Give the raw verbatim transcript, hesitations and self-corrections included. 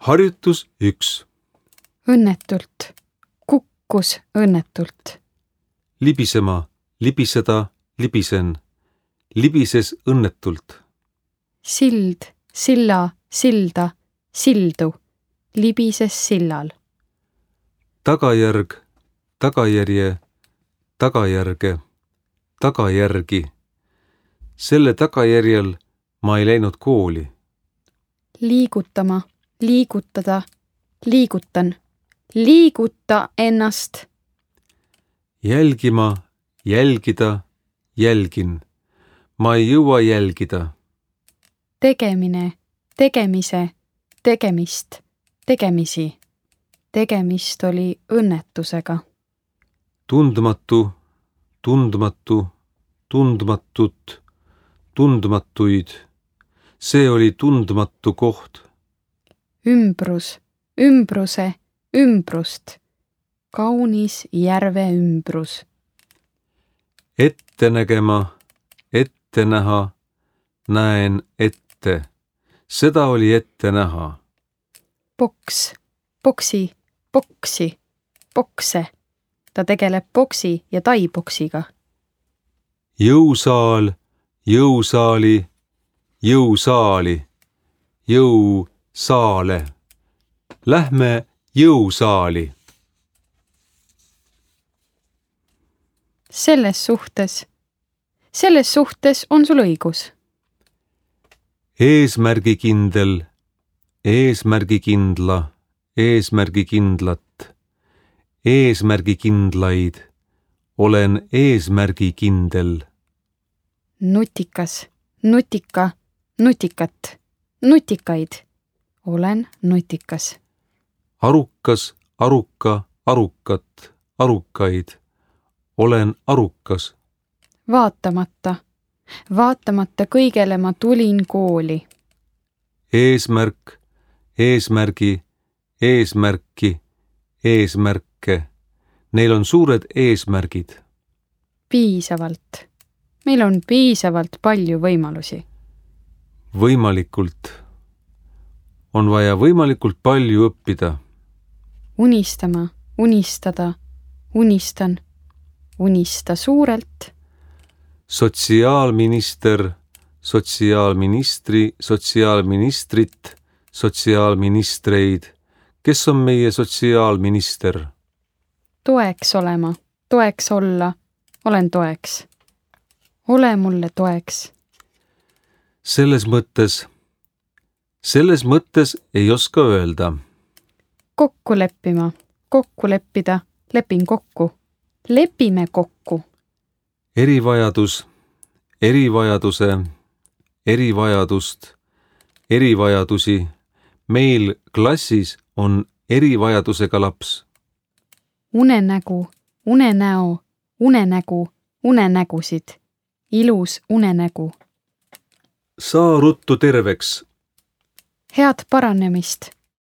Harjutus üks. Õnnetult. Kukkus õnnetult. Libisema, libiseda, libisen. Libises õnnetult. Sild, silla, silda, sildu. Libises sillal. Tagajärg, tagajärje, tagajärge, tagajärgi. Selle tagajärjel ma ei läinud kooli. Liigutama, liigutada, liigutan. Liiguta ennast. Jälgima, jälgida, jälgin. Ma ei jõua jälgida. Tegemine, tegemise, tegemist, tegemisi. Tegemist oli õnnetusega. Tundmatu, tundmatu, tundmatut, tundmatuid. See oli tundmatu koht. Ümbrus, ümbruse, ümbrust. Kaunis järve ümbrus. Ette nägema, ette näha, näen ette. Seda oli ette näha. Boks, boksi, boksi, bokse. Ta tegeleb boksi ja taiboksiga. Jõusaal, jõusaali, jõusaali, jõusaale. Lähme jõusaali. Selles suhtes, selles suhtes on sul õigus. Eesmärgikindel, eesmärgikindla, eesmärgikindlat, eesmärgikindlaid. Olen eesmärgikindel. Nutikas, nutika, nutikat, nutikaid. Olen nutikas. Arukas, aruka, arukat, arukaid. Olen arukas. Vaatamata, vaatamata kõigele ma tulin kooli. Eesmärk, eesmärgi, eesmärki, eesmärke. Neil on suured eesmärgid. Piisavalt. Meil on piisavalt palju võimalusi. Võimalikult. On vaja võimalikult palju õppida. Unistama, unistada, unistan. Unista suurelt. Sotsiaalminister, sotsiaalministri, sotsiaalministrit, sotsiaalministreid. Kes on meie sotsiaalminister? Toeks olema, toeks olla, olen toeks. Ole mulle toeks. Selles mõttes, selles mõttes ei oska öelda. Kokku leppima, kokku leppida, lepin kokku. Lepime kokku. Erivajadus, erivajaduse, erivajadust, erivajadusi. Meil klassis on erivajadusega laps. Unenägu, unenäo, unenägu, unenägusid. Ilus unenägu. Saa ruttu terveks. Head paranemist,